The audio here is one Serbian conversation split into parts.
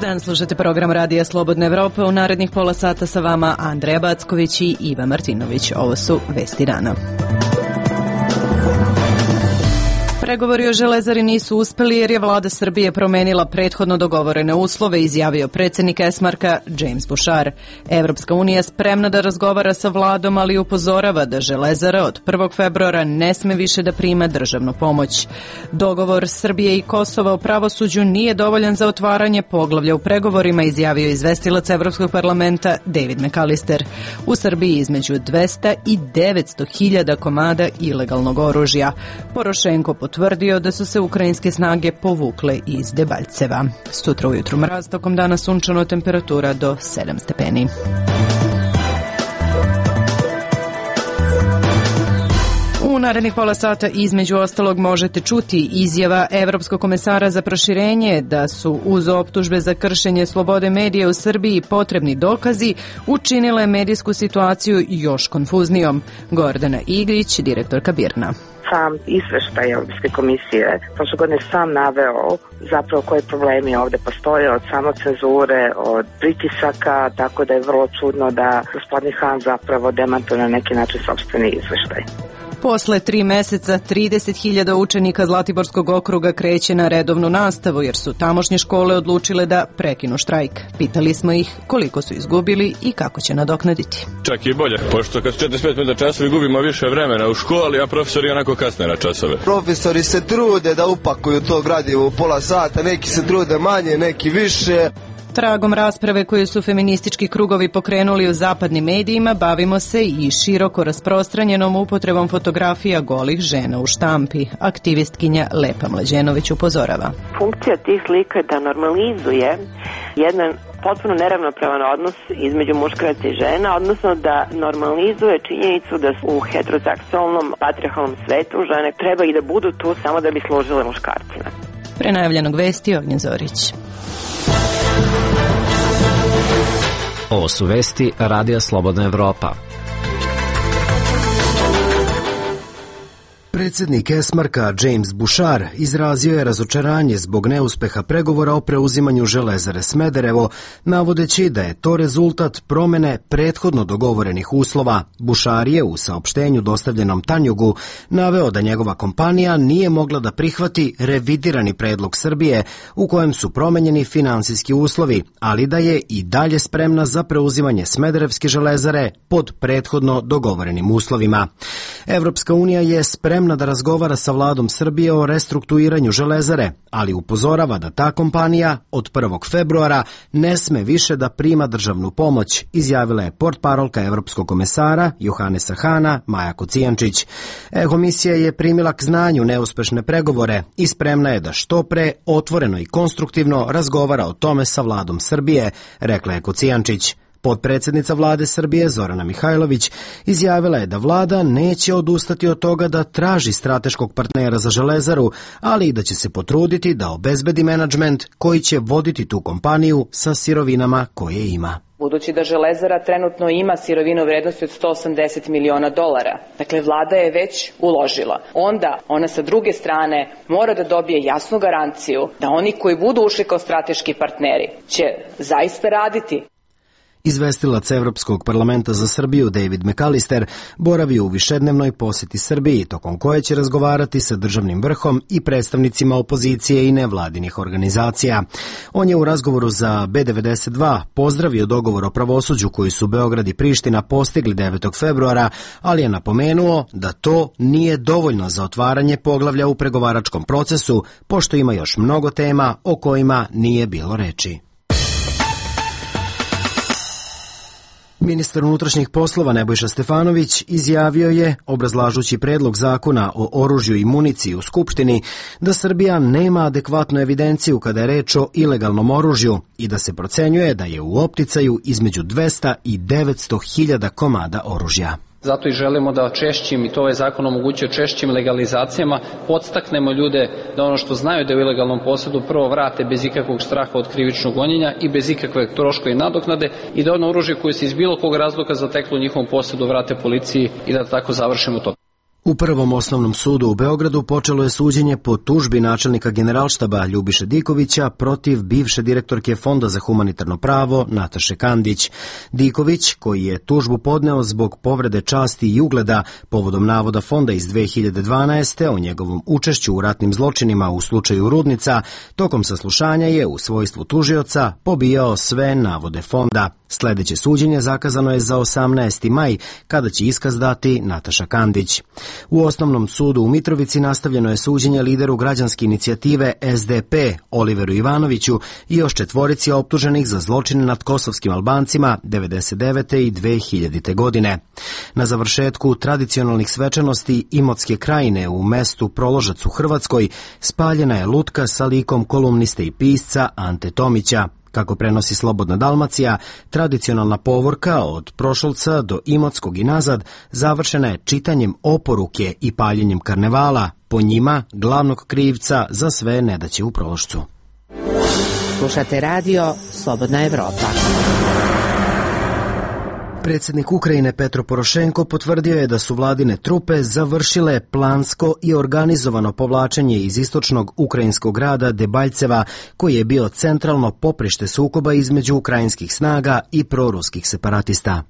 dan, slušate program Radija Slobodne Evrope. U narednih pola sata sa vama Andreja Backović i Iva Martinović. Ovo su vesti dana. Pregovori o Železari nisu uspeli jer je vlada Srbije promenila prethodno dogovorene uslove, izjavio predsjednik Esmarka James Bouchard. Evropska unija je spremna da razgovara sa vladom, ali upozorava da Železara od 1. februara ne sme više da prima državnu pomoć. Dogovor Srbije i Kosova o pravosuđu nije dovoljan za otvaranje poglavlja u pregovorima, izjavio izvestilac Evropskog parlamenta David McAllister. U Srbiji između 200 i 900 hiljada komada ilegalnog oružja. Porošenko potvrdio da su se ukrajinske snage povukle iz Debaljceva. Sutra ujutru mraz, tokom dana sunčano, temperatura do 7 stepeni. U narednih pola sata između ostalog možete čuti izjava Evropskog komesara za proširenje da su uz optužbe za kršenje slobode medija u Srbiji potrebni dokazi učinile medijsku situaciju još konfuznijom. Gordana Iglić, direktorka BIRN-a. Sam izveštaj Evropske komisije prošle godine sam naveo zapravo koji problemi ovde postoje, od samocenzure, od pritisaka, tako da je vrlo čudno da gospodin Han zapravo demantuje na neki način sopstveni izveštaj. Posle 3 meseca 30.000 učenika Zlatiborskog okruga kreće na redovnu nastavu jer su tamošnje škole odlučile da prekinu štrajk. Pitali smo ih koliko su izgubili i kako će nadoknaditi. Čak i bolje, pošto kad 45 minuta časovi gubimo više vremena u školi, a profesori onako kasne na časove. Profesori se trude da upakuju to gradivo u pola sata, neki se trude manje, neki više. Tragom rasprave koju su feministički krugovi pokrenuli u zapadnim medijima, bavimo se i široko rasprostranjenom upotrebom fotografija golih žena u štampi. Aktivistkinja Lepa Mlađenović upozorava. Funkcija tih slika je da normalizuje jedan potpuno neravnopravan odnos između muškaraca i žena, odnosno da normalizuje činjenicu da u heteroseksualnom patrijarhalnom svetu žene treba i da budu tu samo da bi služile muškarcima. Pre najavljenog vesti Ognjen Zorić. Ovo su vesti Radija Slobodna Evropa. Predsjednik Esmarka James Bouchard izrazio je razočaranje zbog neuspeha pregovora o preuzimanju Železare Smederevo, navodeći da je to rezultat promene prethodno dogovorenih uslova. Bouchard je u saopštenju dostavljenom Tanjugu naveo da njegova kompanija nije mogla da prihvati revidirani predlog Srbije u kojem su promenjeni finansijski uslovi, ali da je i dalje spremna za preuzimanje Smederevske železare pod prethodno dogovorenim uslovima. Evropska unija je spremna da razgovara sa vladom Srbije o restrukturiranju Železare, ali upozorava da ta kompanija od 1. februara ne sme više da prima državnu pomoć, izjavila je portparolka Evropskog komesara Johannesa Hana Maja Kocijančić. Komisija je primila k znanju neuspešne pregovore i spremna je da što pre otvoreno i konstruktivno razgovara o tome sa vladom Srbije, rekla je Kocijančić. Potpredsjednica vlade Srbije Zorana Mihajlović izjavila je da vlada neće odustati od toga da traži strateškog partnera za Železaru, ali i da će se potruditi da obezbedi menadžment koji će voditi tu kompaniju sa sirovinama koje ima. Budući da Železara trenutno ima sirovinu u vrednosti od $180 miliona, dakle vlada je već uložila, onda ona sa druge strane mora da dobije jasnu garanciju da oni koji budu ušli kao strateški partneri će zaista raditi. Izvestilac Evropskog parlamenta za Srbiju David McAllister boravio u višednevnoj posjeti Srbiji, tokom koje će razgovarati sa državnim vrhom i predstavnicima opozicije i nevladinih organizacija. On je u razgovoru za B92 pozdravio dogovor o pravosuđu koji su Beograd i Priština postigli 9. februara, ali je napomenuo da to nije dovoljno za otvaranje poglavlja u pregovaračkom procesu, pošto ima još mnogo tema o kojima nije bilo reči. Ministar unutrašnjih poslova Nebojša Stefanović izjavio je, obrazlažući predlog zakona o oružju i municiji u Skupštini, da Srbija nema adekvatnu evidenciju kada je reč o ilegalnom oružju i da se procenjuje da je u opticaju između 200 i 900 hiljada komada oružja. Zato i želimo da češćim, i to ovaj zakon omogućuje češćim legalizacijama, podstaknemo ljude da ono što znaju da je u ilegalnom posjedu prvo vrate bez ikakvog straha od krivičnog gonjenja i bez ikakve troškova i nadoknade i da ono oružje koje se iz bilo kog razloga zateklo u njihovom posjedu vrate policiji i da tako završimo to. U Prvom osnovnom sudu u Beogradu počelo je suđenje po tužbi načelnika Generalštaba Ljubiše Dikovića protiv bivše direktorke Fonda za humanitarno pravo Nataše Kandić. Diković, koji je tužbu podneo zbog povrede časti i ugleda povodom navoda Fonda iz 2012. o njegovom učešću u ratnim zločinima u slučaju Rudnica, tokom saslušanja je u svojstvu tužioca pobijao sve navode Fonda. Sledeće suđenje zakazano je za 18. maj, kada će iskaz dati Nataša Kandić. U Osnovnom sudu u Mitrovici nastavljeno je suđenje lideru građanske inicijative SDP Oliveru Ivanoviću i još 4 optuženih za zločine nad kosovskim Albancima 1999. i 2000. godine. Na završetku tradicionalnih svečanosti Imotske krajine u mestu Proložac u Hrvatskoj spaljena je lutka sa likom kolumniste i pisca Ante Tomića. Kako prenosi Slobodna Dalmacija, tradicionalna povorka od Prošolca do Imotskog i nazad završena je čitanjem oporuke i paljenjem karnevala, po njima glavnog krivca za sve nedaće u Prološcu. Slušate radio Slobodna Evropa. Predsjednik Ukrajine Petro Porošenko potvrdio je da su vladine trupe završile plansko i organizovano povlačenje iz istočnog ukrajinskog grada Debaljceva, koji je bio centralno poprište sukoba između ukrajinskih snaga i proruskih separatista.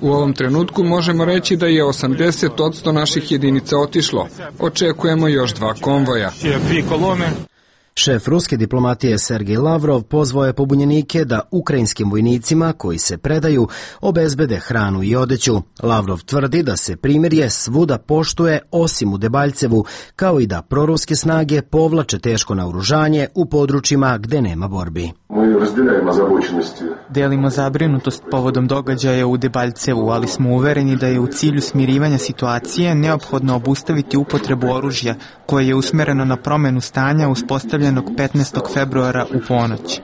U ovom trenutku možemo reći da je 80% naših jedinica otišlo. Očekujemo još 2 konvoja. Šef ruske diplomatije Sergej Lavrov pozvao je pobunjenike da ukrajinskim vojnicima koji se predaju obezbede hranu i odeću. Lavrov tvrdi da se primirje svuda poštuje osim u Debaljcevu, kao i da proruske snage povlače teško naoružanje u područjima gde nema borbi. Delimo zabrinutost povodom događaja u Debaljcevu, ali smo uvereni da je u cilju smirivanja situacije neophodno obustaviti upotrebu oružja koje je usmereno na promenu stanja uspostavljenog 15. februara u ponoć.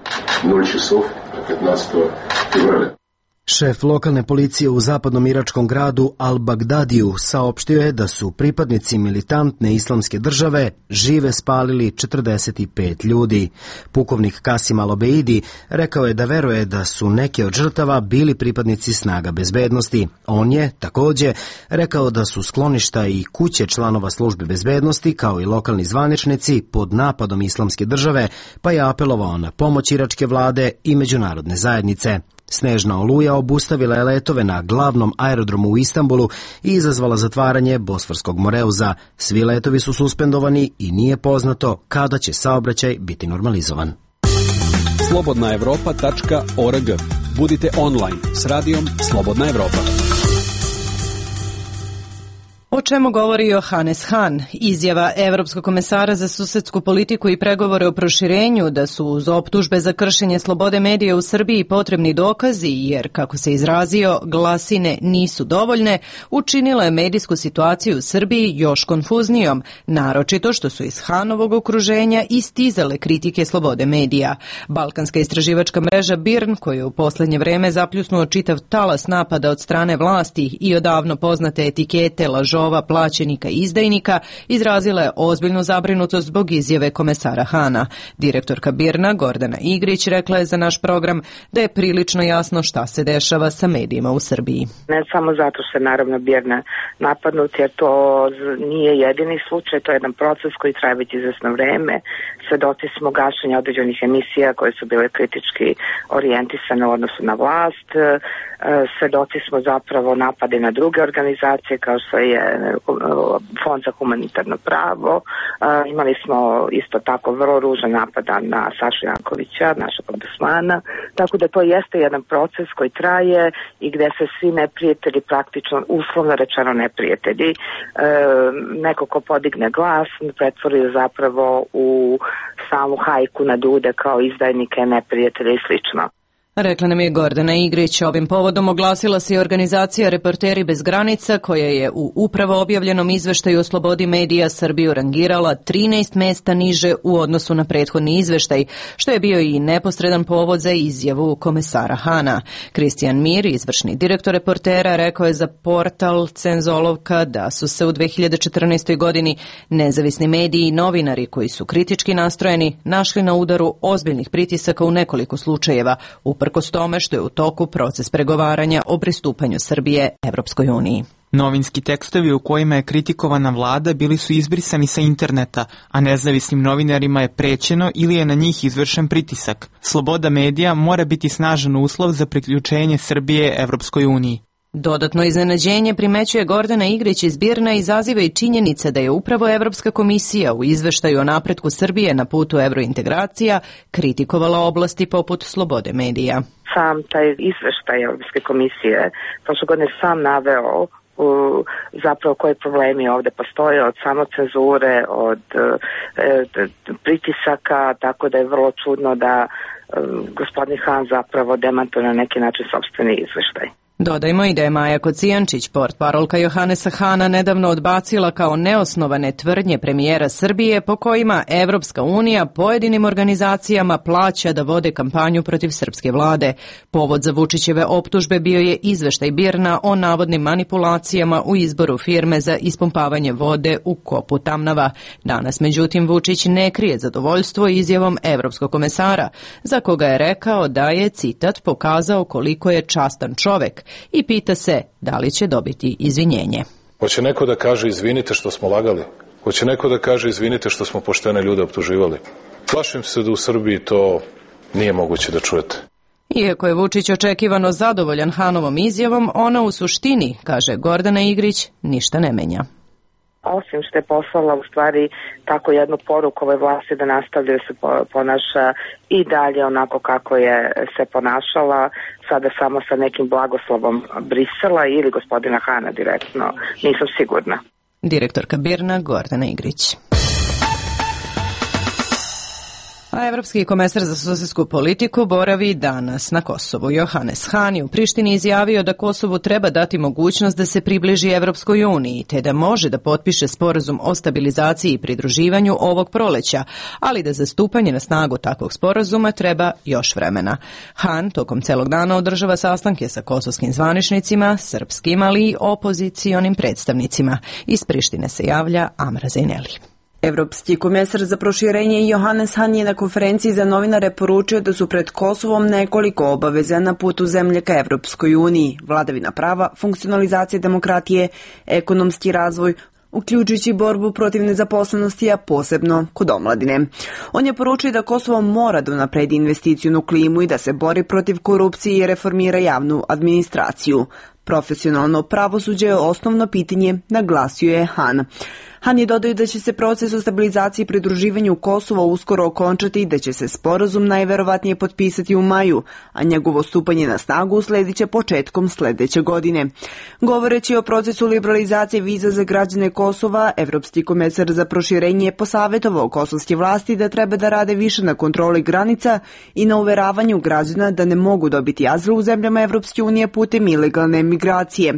Šef lokalne policije u zapadnom iračkom gradu Al-Bagdadiju saopštio je da su pripadnici militantne islamske države žive spalili 45 ljudi. Pukovnik Kasim Al-Obeidi rekao je da veruje da su neke od žrtava bili pripadnici snaga bezbednosti. On je, takođe, rekao da su skloništa i kuće članova službe bezbednosti, kao i lokalni zvaničnici, pod napadom islamske države, pa je apelovao na pomoć iračke vlade i međunarodne zajednice. Snežna oluja obustavila je letove na glavnom aerodromu u Istanbulu i izazvala zatvaranje Bosforskog moreuza. Svi letovi su suspendovani i nije poznato kada će saobraćaj biti normalizovan. slobodnaevropa.org. Budite online s radijom Slobodna Evropa. O čemu govori Johannes Hahn, izjava Evropskog komesara za susedsku politiku i pregovore o proširenju da su uz optužbe za kršenje slobode medija u Srbiji potrebni dokazi, jer, kako se izrazio, glasine nisu dovoljne, učinila je medijsku situaciju u Srbiji još konfuznijom, naročito što su iz Hanovog okruženja istizale kritike slobode medija. Balkanska istraživačka mreža BIRN, koju je u poslednje vreme zapljusnuo čitav talas napada od strane vlasti i odavno poznate etikete lažova, plaćenika i izdajnika, izrazila je ozbiljnu zabrinutost zbog izjave komesara Hana. Direktorka BIRN-a Gordana Igrić rekla je za naš program da je prilično jasno šta se dešava sa medijima u Srbiji. Ne samo zato što je naravno BIRN napadnut, jer to nije jedini slučaj, to je jedan proces koji traje već izvesno vreme. Svedoci smo gašenja određenih emisija koje su bile kritički orijentisane u odnosu na vlast. Svedoci smo zapravo napade na druge organizacije kao što je Fond za humanitarno pravo. Imali smo isto tako vrlo ružan napada na Sašu Jankovića, našeg ombudsmana. Tako da to jeste jedan proces koji traje i gde se svi neprijatelji, praktično uslovno rečeno neprijatelji, neko ko podigne glas pretvori zapravo u samu hajku na ljude kao izdajnike, neprijatelje i slično. Rekla nam je Gordana Igrić. Ovim povodom oglasila se i organizacija Reporteri bez granica, koja je u upravo objavljenom izveštaju o slobodi medija Srbiju rangirala 13 mesta niže u odnosu na prethodni izveštaj, što je bio i neposredan povod za izjavu komesara Hana. Kristijan Mir, izvršni direktor Reportera, rekao je za portal Cenzolovka da su se u 2014. godini nezavisni mediji i novinari koji su kritički nastrojeni našli na udaru ozbiljnih pritisaka u nekoliko slučajeva, uprkos tome što je u toku proces pregovaranja o pristupanju Srbije Evropskoj uniji. Novinski tekstovi u kojima je kritikovana vlada bili su izbrisani sa interneta, a nezavisnim novinarima je prećeno ili je na njih izvršen pritisak. Sloboda medija mora biti snažan uslov za priključenje Srbije Evropskoj uniji. Dodatno iznenađenje primećuje Gordana Igrić iz BIRN-a izaziva i činjenica da je upravo Evropska komisija u izveštaju o napretku Srbije na putu evrointegracija kritikovala oblasti poput slobode medija. Sam taj izveštaj Evropske komisije prošle godine sam naveo zapravo koji problemi ovde postoje, od samocenzure, od pritisaka, tako da je vrlo čudno da gospodin Han zapravo demantuje na neki način sopstveni izveštaj. Dodajmo i da je Maja Kocijančić, portparolka Johanesa Hana, nedavno odbacila kao neosnovane tvrdnje premijera Srbije po kojima Evropska unija pojedinim organizacijama plaća da vode kampanju protiv srpske vlade. Povod za Vučićeve optužbe bio je izveštaj BIRN-a o navodnim manipulacijama u izboru firme za ispumpavanje vode u kopu Tamnava. Danas, međutim, Vučić ne krije zadovoljstvo izjavom evropskog komesara, za koga je rekao da je, citat, pokazao koliko je častan čovek i pita se da li će dobiti izvinjenje. Hoće neko da kaže izvinite što smo lagali? Hoće neko da kaže izvinite što smo poštene ljude optuživali? Plašim se da u Srbiji to nije moguće da čujete. Iako je Vučić očekivano zadovoljan Hanovom izjavom, ona u suštini, kaže Gordana Igrić, ništa ne menja. Osim što je poslala u stvari tako jednu poruku ovoj vlasti da nastavlja se ponaša i dalje onako kako je se ponašala, sada samo sa nekim blagoslovom Brisela ili gospodina Hana direktno, nisam sigurna. Direktorka BIRN-a Gordana Igrić. A evropski komesar za susjedsku politiku boravi danas na Kosovu. Johannes Hahn je u Prištini izjavio da Kosovu treba dati mogućnost da se približi Evropskoj uniji, te da može da potpiše sporazum o stabilizaciji i pridruživanju ovog proleća, ali da za stupanje na snagu takvog sporazuma treba još vremena. Hahn tokom celog dana održava sastanke sa kosovskim zvaničnicima, srpskim, ali i opozicionim predstavnicima. Iz Prištine se javlja Amra Zejneli. Evropski komesar za proširenje Johannes Hahn je na konferenciji za novinare poručio da su pred Kosovom nekoliko obaveza na putu zemlje ka Evropskoj uniji, vladavina prava, funkcionalizacija demokratije, ekonomski razvoj, uključujući borbu protiv nezaposlenosti, a posebno kod omladine. On je poručio da Kosovo mora da unapredi investicijnu klimu i da se bori protiv korupcije i reformira javnu administraciju. Profesionalno pravosuđe je osnovno pitanje, naglasio je Hahn. Hahn je dodao da će se proces o stabilizaciji i pridruživanju Kosova uskoro okončati i da će se sporazum najverovatnije potpisati u maju, a njegovo stupanje na snagu usledit će početkom sledeće godine. Govoreći o procesu liberalizacije viza za građane Kosova, Evropski komesar za proširenje je posavjetovao kosovske vlasti da treba da rade više na kontroli granica i na uveravanju građana da ne mogu dobiti azil u zemljama Evropske unije putem ilegalne migracije.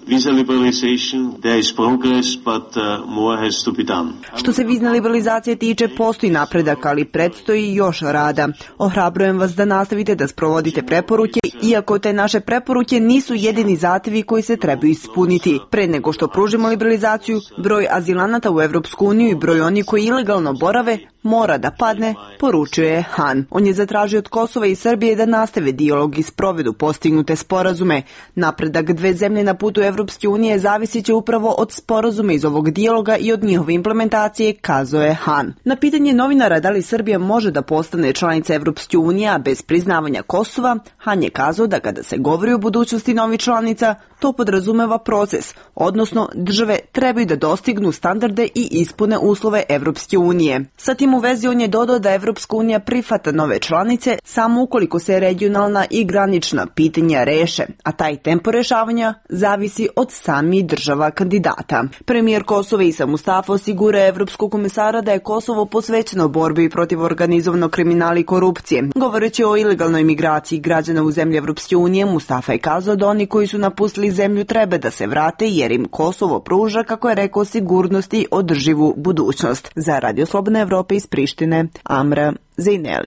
Visa liberalization, there is progress, but more has to be done. Što se vizne liberalizacije tiče, postoji napredak, ali predstoji još rada. Ohrabrujem vas da nastavite da sprovodite preporuke, iako te naše preporuke nisu jedini zahtevi koji se trebaju ispuniti. Pre nego što pružimo liberalizaciju, broj azilanata u Evropsku uniju i broj onih koji ilegalno borave mora da padne, poručuje Hahn. On je zatražio od Kosova i Srbije da nastave dijalog i sprovedu postignute sporazume. Napredak dve zemlje na putu Evropske unije zavisit će upravo od sporazuma iz ovog dijaloga i od njihove implementacije, kazao je Hahn. Na pitanje novinara da li Srbija može da postane članica Evropske unije, a bez priznavanja Kosova, Hahn je kazao da kada se govori o budućnosti novih članica, to podrazumeva proces, odnosno države trebaju da dostignu standarde i ispune uslove Evropske unije. Sa tim u vezi on je dodao da Evropska unija prihvata nove članice samo ukoliko se regionalna i granična pitanja reše, a taj tempo rešavanja zavisi od samih država kandidata. Premijer Kosova Isa Mustafa osigura Evropskog komesara da je Kosovo posvećeno borbi protiv organizovanog kriminala i korupcije. Govoreći o ilegalnoj migraciji građana u zemlji Evropske unije, Mustafa je kazao da oni koji su napustili zemlju treba da se vrate jer im Kosovo pruža, kako je rekao, sigurnost i održivu budućnost. Za Radio Slobodna Evropa iz Prištine, Amra Zejneli.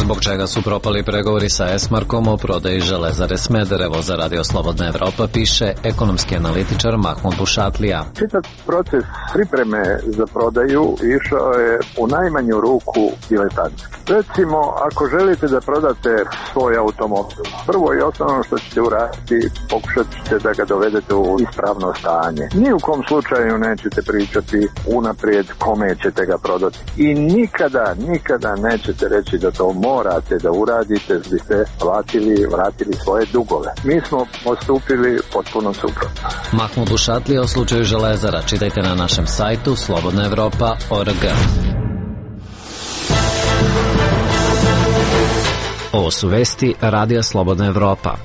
Zbog čega su propali pregovori sa Esmarkom o prodaji Železare Smederevo, za Radio Slobodna Evropa piše ekonomski analitičar Mahmud Bušatlija. Čitav proces pripreme za prodaju išao je u najmanju ruku diletantski. Recimo, ako želite da prodate svoj automobil, prvo i osnovno što ćete uraditi, pokušat ćete da ga dovedete u ispravno stanje. Ni u kom slučaju nećete pričati unaprijed kome ćete ga prodati. I nikada nećete reći da to morate da uradite, da biste vratili svoje dugove. Mi smo postupili potpuno suprotno. Mahmud Bušatlija o slučaju Železara čitajte na našem sajtu slobodnaevropa.org. Ovo su vesti Radija Slobodna Evropa.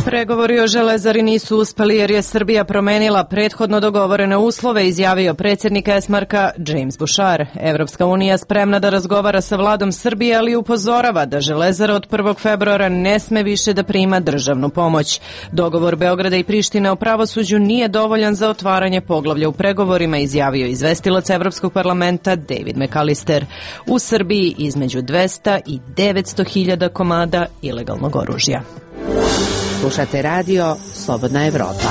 Pregovori o Železari nisu uspeli jer je Srbija promenila prethodno dogovorene uslove, izjavio predsjednik Esmarka James Bušar. Evropska unija spremna da razgovara sa vladom Srbije, ali upozorava da Železara od 1. februara ne sme više da prima državnu pomoć. Dogovor Beograda i Prištine o pravosuđu nije dovoljan za otvaranje poglavlja u pregovorima, izjavio izvestilac Evropskog parlamenta David McAllister. U Srbiji između 200 i 900 hiljada komada ilegalnog oružja. Slušate radio Slobodna Evropa.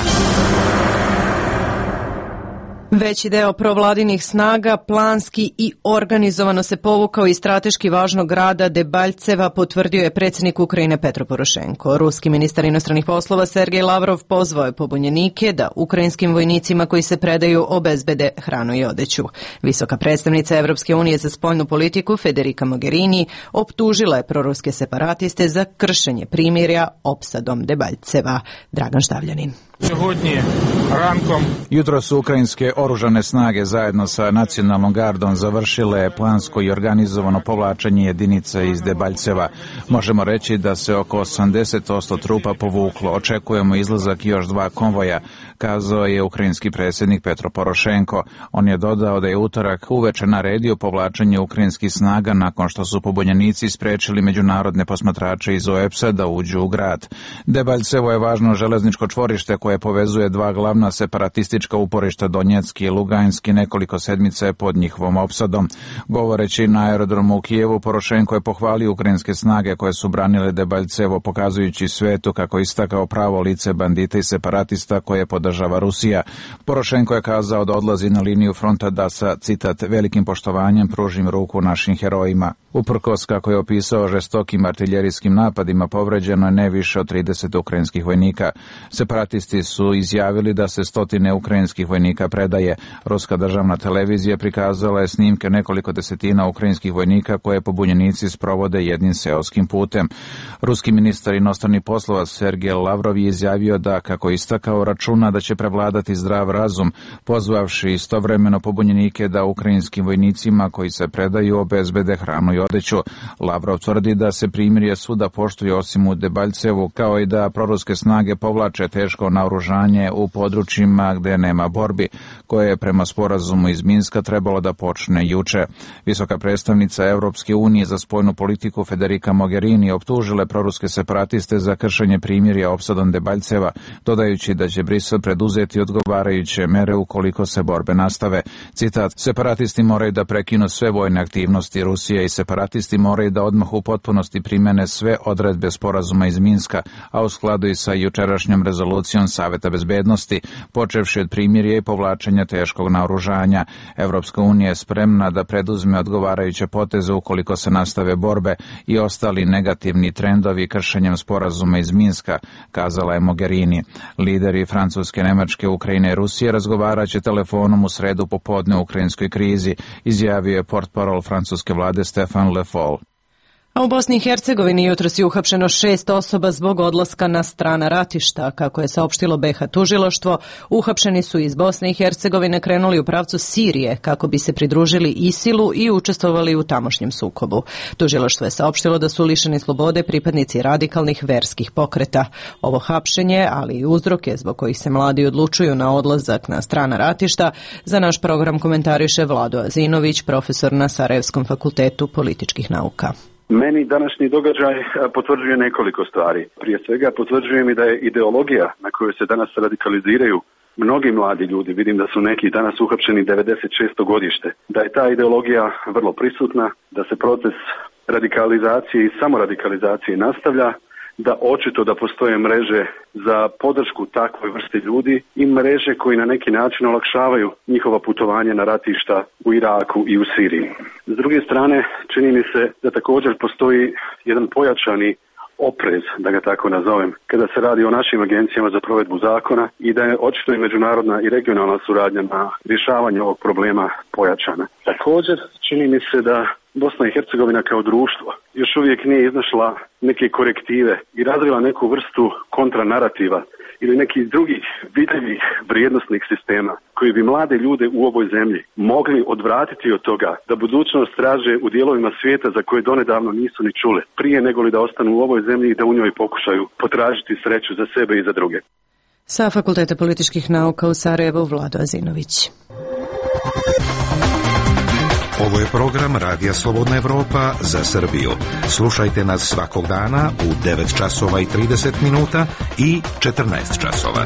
Veći deo provladinih snaga planski i organizovano se povukao iz strateški važnog grada Debaljceva, potvrdio je predsjednik Ukrajine Petro Porošenko. Ruski ministar inostranih poslova Sergej Lavrov pozvao je pobunjenike da ukrajinskim vojnicima koji se predaju obezbede hranu i odeću. Visoka predstavnica Evropske unije za spoljnu politiku Federica Mogherini optužila je proruske separatiste za kršenje primirja opsadom Debaljceva. Dragan Štavljanin. Jutro su ukrajinske oružane snage zajedno sa nacionalnom gardom završile plansko i organizovano povlačenje jedinica iz Debaljceva. Možemo reći da se oko 80% trupa povuklo. Očekujemo izlazak još 2 konvoja, kazao je ukrajinski predsjednik Petro Porošenko. On je dodao da je utorak uveče naredio povlačenje ukrajinskih snaga nakon što su pobunjenici sprečili međunarodne posmatrače iz OEPS-a da uđu u grad. Debaljcevo je važno železničko čvorište koje povezuje 2 glavna separatistička uporišta Donjetski i Luganski, nekoliko sedmica je pod njihovom opsadom. Govoreći na aerodromu u Kijevu, Porošenko je pohvalio ukrajinske snage koje su branile Debaljcevo, pokazujući svetu kako istakao pravo lice bandita i separatista koje podržava Rusija. Porošenko je kazao da odlazi na liniju fronta da sa, citat, velikim poštovanjem pružim ruku našim herojima. Uprkos, kako je opisao, žestokim artiljerijskim napadima povređeno je ne više od 30 ukrajinskih vojnika. Separatisti su izjavili da se stotine ukrajinskih vojnika predaje. Ruska državna televizija prikazala je snimke nekoliko desetina ukrajinskih vojnika koje pobunjenici sprovode jednim seoskim putem. Ruski ministar inostranih poslova Sergej Lavrov je izjavio da, kako istakao, računa da će prevladati zdrav razum, pozvavši istovremeno pobunjenike da ukrajinskim vojnicima koji se predaju obezbede hranu i odeću. Lavrov tvrdi da se primirje svuda poštuje osim u Debaljcevu, kao i da proruske snage povlače teško naoružanje u područjima gde nema borbi, koje je prema sporazumu iz Minska trebalo da počne juče. Visoka predstavnica Evropske unije za spoljnu politiku Federica Mogherini optužile proruske separatiste za kršenje primirja opsadom Debaljceva, dodajući da će Brisel preduzeti odgovarajuće mere ukoliko se borbe nastave. Citat, separatisti moraju da prekinu sve vojne aktivnosti. Rusija i separatisti moraju da odmah u potpunosti primene sve odredbe sporazuma iz Minska, a u skladu i sa jučerašnjom rezolucijom Saveta bezbednosti, počevši od primirja i povlačenja teškog naoružanja. Evropska unija je spremna da preduzme odgovarajuće poteze ukoliko se nastave borbe i ostali negativni trendovi kršenjem sporazuma iz Minska, kazala je Mogherini. Lideri Francuske, Nemačke, Ukrajine i Rusije razgovaraće telefonom u sredu popodne u ukrajinskoj krizi, izjavio je portparol francuske vlade Stefan Le Foll. A u Bosni i Hercegovini jutros je uhapšeno 6 osoba zbog odlaska na strana ratišta. Kako je saopštilo BiH tužilaštvo, uhapšeni su iz Bosne i Hercegovine krenuli u pravcu Sirije kako bi se pridružili ISIL-u i učestvovali u tamošnjem sukobu. Tužilaštvo je saopštilo da su lišeni slobode pripadnici radikalnih verskih pokreta. Ovo hapšenje, ali i uzroke zbog kojih se mladi odlučuju na odlazak na strana ratišta, za naš program komentariše Vlado Azinović, profesor na Sarajevskom fakultetu političkih nauka. Meni današnji događaj potvrđuje nekoliko stvari. Prije svega potvrđuje mi da je ideologija na kojoj se danas radikaliziraju mnogi mladi ljudi, vidim da su neki danas uhapšeni 96. godište, da je ta ideologija vrlo prisutna, da se proces radikalizacije i samoradikalizacije nastavlja, da očito da postoje mreže za podršku takvoj vrsti ljudi i mreže koji na neki način olakšavaju njihova putovanja na ratišta u Iraku i u Siriji. S druge strane, čini mi se da također postoji jedan pojačani oprez, da ga tako nazovem, kada se radi o našim agencijama za provedbu zakona i da je očito i međunarodna i regionalna suradnja na rješavanje ovog problema pojačana. Također, čini mi se da Bosna i Hercegovina kao društvo još uvijek nije iznašla neke korektive i razvila neku vrstu kontranarativa ili nekih drugih vidljivih vrijednosnih sistema koji bi mlade ljude u ovoj zemlji mogli odvratiti od toga da budućnost traže u dijelovima svijeta za koje donedavno nisu ni čule, prije nego li da ostanu u ovoj zemlji i da u njoj pokušaju potražiti sreću za sebe i za druge. Sa Fakulteta političkih nauka u Sarajevu, Vlado Azinović. Ovo je program Radija Slobodna Evropa za Srbiju. Slušajte nas svakog dana u 9 časova i 30 minuta i 14 časova.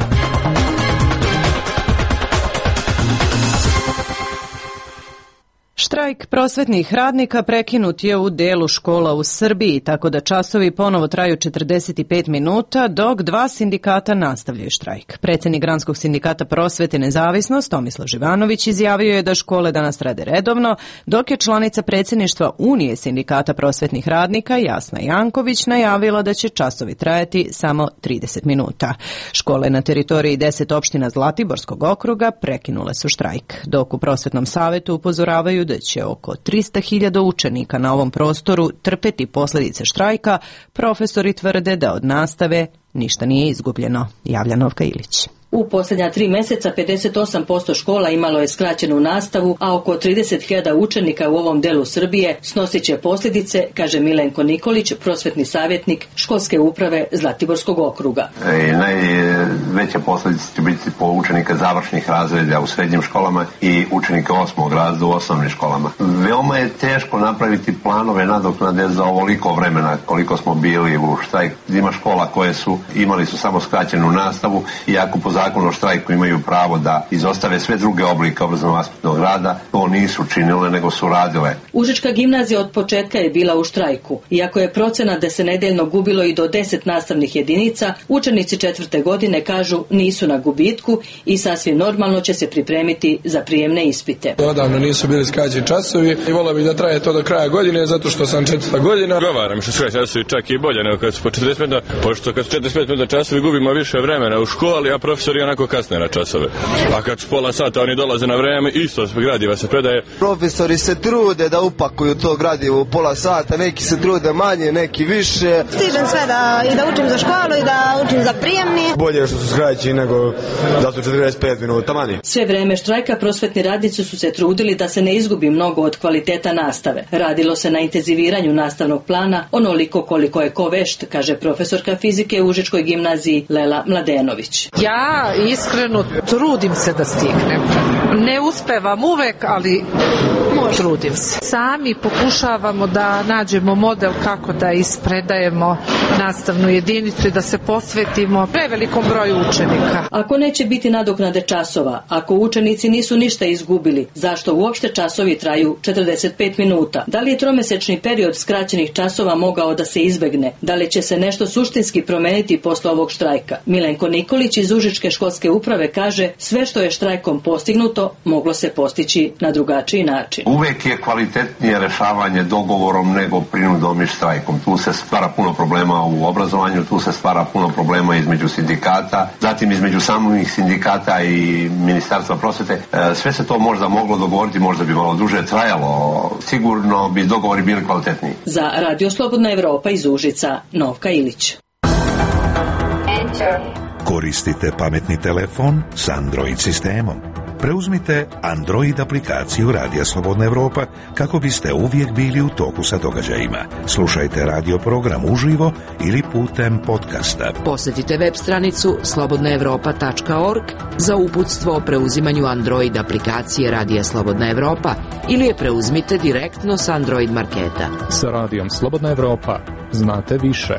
Štrajk prosvetnih radnika prekinut je u delu škola u Srbiji, tako da časovi ponovo traju 45 minuta, dok dva sindikata nastavljaju štrajk. Predsjednik Granskog sindikata prosvete Nezavisnost, Tomislav Živanović, izjavio je da škole danas rade redovno, dok je članica predsjedništva Unije sindikata prosvetnih radnika, Jasna Janković, najavila da će časovi trajati samo 30 minuta. Škole na teritoriji 10 opština Zlatiborskog okruga prekinule su štrajk, dok u prosvetnom savetu upozoravaju da će oko 300.000 učenika na ovom prostoru trpeti posljedice štrajka. Profesori tvrde da od nastave ništa nije izgubljeno. Javlja Novka Ilić. U posljednja 3 mjeseca 58% škola imalo je skraćenu nastavu, a oko 30.000 učenika u ovom delu Srbije snosit će posljedice, kaže Milenko Nikolić, prosvetni savjetnik školske uprave Zlatiborskog okruga. Najveće posljedice će biti po učenika završnih razreda u srednjim školama i učenika 8. razreda u osnovnim školama. Veoma je teško napraviti planove nadoknade za ovoliko vremena koliko smo bili u štrajku. Ima škola koje imali su samo skraćenu nastavu, iako po zakonu o štrajku imaju pravo da izostave sve druge oblike obrazovno-vaspitnog rada, to nisu činile, nego su radile. Užička gimnazija od početka je bila u štrajku. Iako je procena da se nedeljno gubilo i do 10 nastavnih jedinica, učenici 4. godine kažu nisu na gubitku i sasvim normalno će se pripremiti za prijemne ispite. Odavno nisu bili skraćeni časovi i volio bih da traje to do kraja godine, zato što sam 4. godina. Govaram što skraćeni časovi čak i bolje nego kad su po 45 minuta, pošto kad su 45 minuta časovi gubimo više vremena u školi, a profesori onako kasne na časove. A kad su pola sata oni dolaze na vreme, isto gradiva se predaje. Profesori se trude da upakuju to gradivo u pola sata, neki se trude manje, neki više. Stižem sve da učim za školu i da učim za prijemni. Bolje što su skraćeni nego da su 45 minuta manje. Sve vreme štrajka prosvetni radnici su se trudili da se ne izgubi mnogo od kvaliteta nastave. Radilo se na intenziviranju nastavnog plana onoliko koliko je ko vešt, kaže profesorka fizike u Užičkoj gimnaziji Lela Mladenović. Ja iskreno trudim se da stignem. Ne uspevam uvek, ali trudim se. Sami pokušavamo da nađemo model kako da ispredajemo nastavnu jedinicu i da se posvetimo prevelikom broju učenika. Ako neće biti nadoknade časova, ako učenici nisu ništa izgubili, zašto uopšte časovi traju 45 minuta? Da li je tromesečni period skraćenih časova mogao da se izbegne? Da li će se nešto suštinski promeniti posle ovog štrajka? Milenko Nikolić iz Užičke školske uprave kaže, sve što je štrajkom postignuto moglo se postići na drugačiji način. Uvek je kvalitetnije rešavanje dogovorom nego prinudom i štrajkom. Tu se stvara puno problema u obrazovanju, tu se stvara puno problema između sindikata, zatim između samih sindikata i Ministarstva prosvete. Sve se to možda moglo dogovoriti, možda bi malo duže trajalo. Sigurno bi dogovori bili kvalitetniji. Za Radio Slobodna Evropa iz Užica, Novka Ilić. Koristite pametni telefon s Android sistemom. Preuzmite Android aplikaciju Radija Slobodna Evropa kako biste uvijek bili u toku sa događajima. Slušajte radio program uživo ili putem podcasta. Posjetite web stranicu slobodnaevropa.org za uputstvo o preuzimanju Android aplikacije Radija Slobodna Evropa ili je preuzmite direktno s Android marketa. Sa Radijom Slobodna Evropa znate više.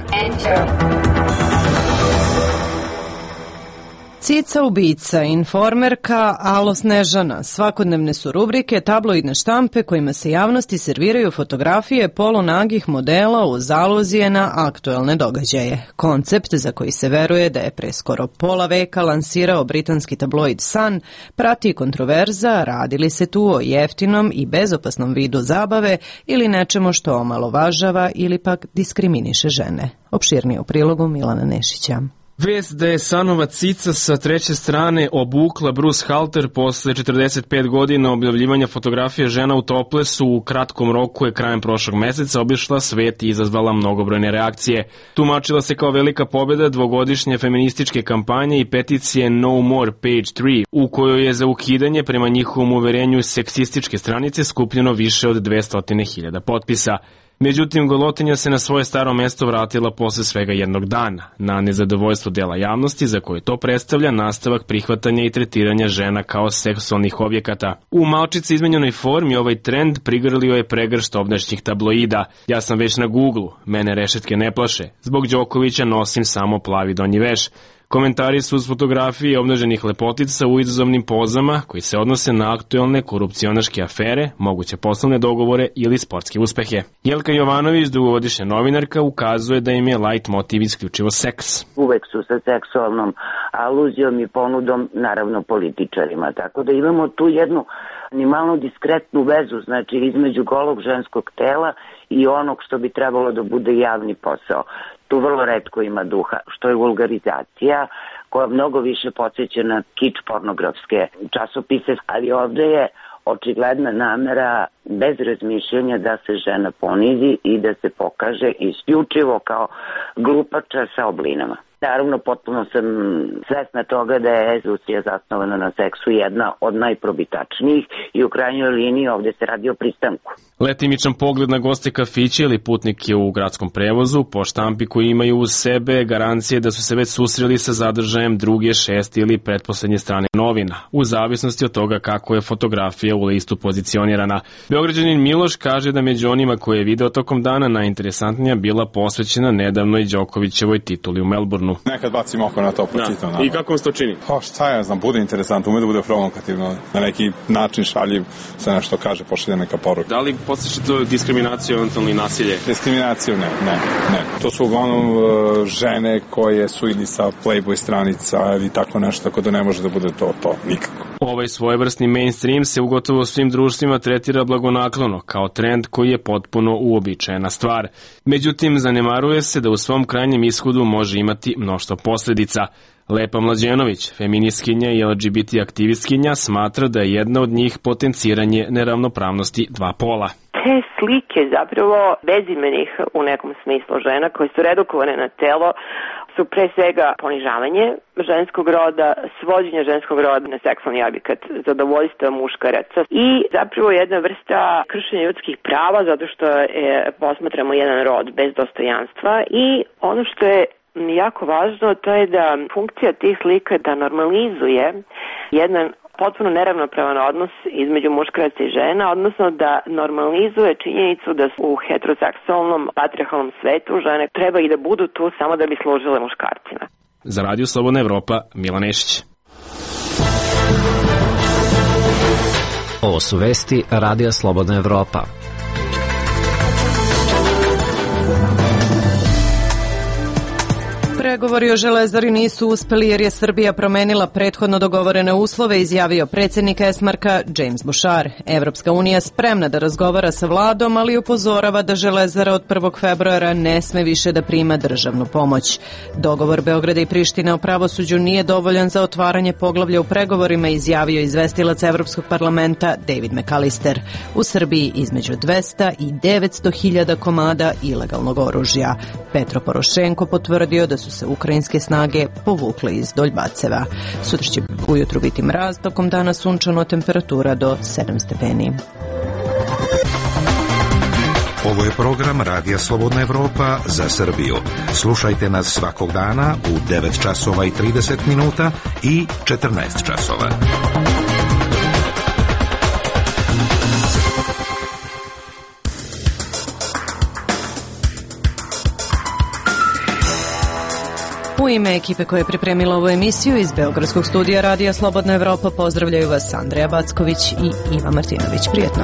Cica ubica, informerka, alo Snežana. Svakodnevne su rubrike, tabloidne štampe kojima se javnosti serviraju fotografije polunagih modela uz aluzije na aktuelne događaje. Koncept za koji se veruje da je pre skoro pola veka lansirao britanski tabloid Sun prati kontroverza, radi li se tu o jeftinom i bezopasnom vidu zabave ili nečemu što omalovažava ili pak diskriminiše žene. Opširnije u prilogu Milana Nešića. Vest da je Sunova Cica sa treće strane obukla Bruce Halter posle 45 godina objavljivanja fotografije žena u toplesu u kratkom roku je krajem prošlog meseca obišla svet i izazvala mnogobrojne reakcije. Tumačila se kao velika pobjeda dvogodišnje feminističke kampanje i peticije No More Page 3, u kojoj je za ukidanje prema njihovom uverenju seksističke stranice skupljeno više od 200.000 potpisa. Međutim, golotinja se na svoje staro mesto vratila posle svega jednog dana, na nezadovoljstvo dela javnosti za koje to predstavlja nastavak prihvatanja i tretiranja žena kao seksualnih objekata. U malčice izmenjenoj formi ovaj trend prigrlio je pregršt ovdašnjih tabloida. Ja sam već na Googlu, mene rešetke ne plaše, zbog Đokovića nosim samo plavi donji veš. Komentari su uz fotografije obnaženih lepotica u izazovnim pozama koji se odnose na aktuelne korupcionaške afere, moguće poslovne dogovore ili sportske uspehe. Jelka Jovanović, dugogodišnja novinarka, ukazuje da im je light motiv isključivo seks. Uvek su sa seksualnom aluzijom i ponudom, naravno, političarima. Tako da imamo tu jednu ni malo diskretnu vezu, znači između golog ženskog tela i onog što bi trebalo da bude javni posao. Tu vrlo retko ima duha, što je vulgarizacija koja mnogo više podsjeća na kič pornografske časopise, ali ovde je očigledna namera bez razmišljanja da se žena ponizi i da se pokaže isključivo kao glupača sa oblinama. Naravno, potpuno sam svesna toga da je Ezusija zasnovana na seksu jedna od najprobitačnijih i u krajnjoj liniji ovde se radi o pristanku. Letimičan pogled na goste kafića ili putnike u gradskom prevozu po štampi koji imaju uz sebe garancije da su se već susreli sa zadržajem druge, šeste ili pretposlednje strane novina, u zavisnosti od toga kako je fotografija u listu pozicionirana. Beograđanin Miloš kaže da među onima koje je video tokom dana najinteresantnija bila posvećena nedavnoj Đokovićevoj tituli u Melbourneu. Nekad bacim oko na to pročitam. I kako vam se to čini? Pa šta ja znam, bude interesantno, ume da bude provokativno, na neki način šaljiv se nešto kaže, pošalje neka poruka. Da li podsjeća to diskriminaciju, eventualno i nasilje? Diskriminaciju ne. To su uglavnom žene koje su ili sa Playboy stranica ili tako nešto, tako da ne može da bude to nikako. Ovaj svojevrsni mainstream se u gotovo svim društvima tretira blagonaklono, kao trend koji je potpuno uobičajena stvar. Međutim, zanemaruje se da u svom krajnjem ishodu može imati mnoštvo posledica. Lepa Mlađenović, feministkinja i LGBT aktivistkinja, smatra da je jedna od njih potenciranje neravnopravnosti dva pola. Te slike zapravo bezimenih u nekom smislu žena koje su redukovane na telo su pre svega ponižavanje ženskog roda, svođenje ženskog roda na seksualni objekat, zadovoljstva muškaraca i zapravo jedna vrsta kršenja ljudskih prava zato što posmatramo jedan rod bez dostojanstva i ono što je jako važno to je da funkcija tih slika da normalizuje jedan potpuno neravnopravan odnos između muškaraca i žena, odnosno da normalizuje činjenicu da u heteroseksualnom patrijarhalnom svetu žene treba i da budu tu samo da bi služile muškarcima. Za Radio Slobodna Evropa, Milan Nešić. Ovo su vesti Radija Slobodna Evropa. Pregovori o Železari nisu uspeli jer je Srbija promenila prethodno dogovorene uslove, izjavio predsjednik Esmarka James Bushar. Evropska unija spremna da razgovara sa vladom, ali upozorava da Železara od 1. februara ne sme više da prima državnu pomoć. Dogovor Beograda i Prištine o pravosuđu nije dovoljan za otvaranje poglavlja u pregovorima, izjavio izvestilac Evropskog parlamenta David McAllister. U Srbiji između 200 i 900 hiljada komada ilegalnog oružja. Petro Porošenko potvrdio da su se ukrajinske snage povukle iz Doljbaceva. Sutra će ujutru biti mraz, tokom dana sunčano, temperatura do 7 stepeni. Ovo je program Radija Slobodna Evropa za Srbiju. Slušajte nas svakog dana u 9 časova i 30 minuta i 14 časova. U ime ekipe koja je pripremila ovu emisiju iz Beogradskog studija Radija Slobodna Evropa pozdravljaju vas Andreja Backović i Iva Martinović. Prijetno.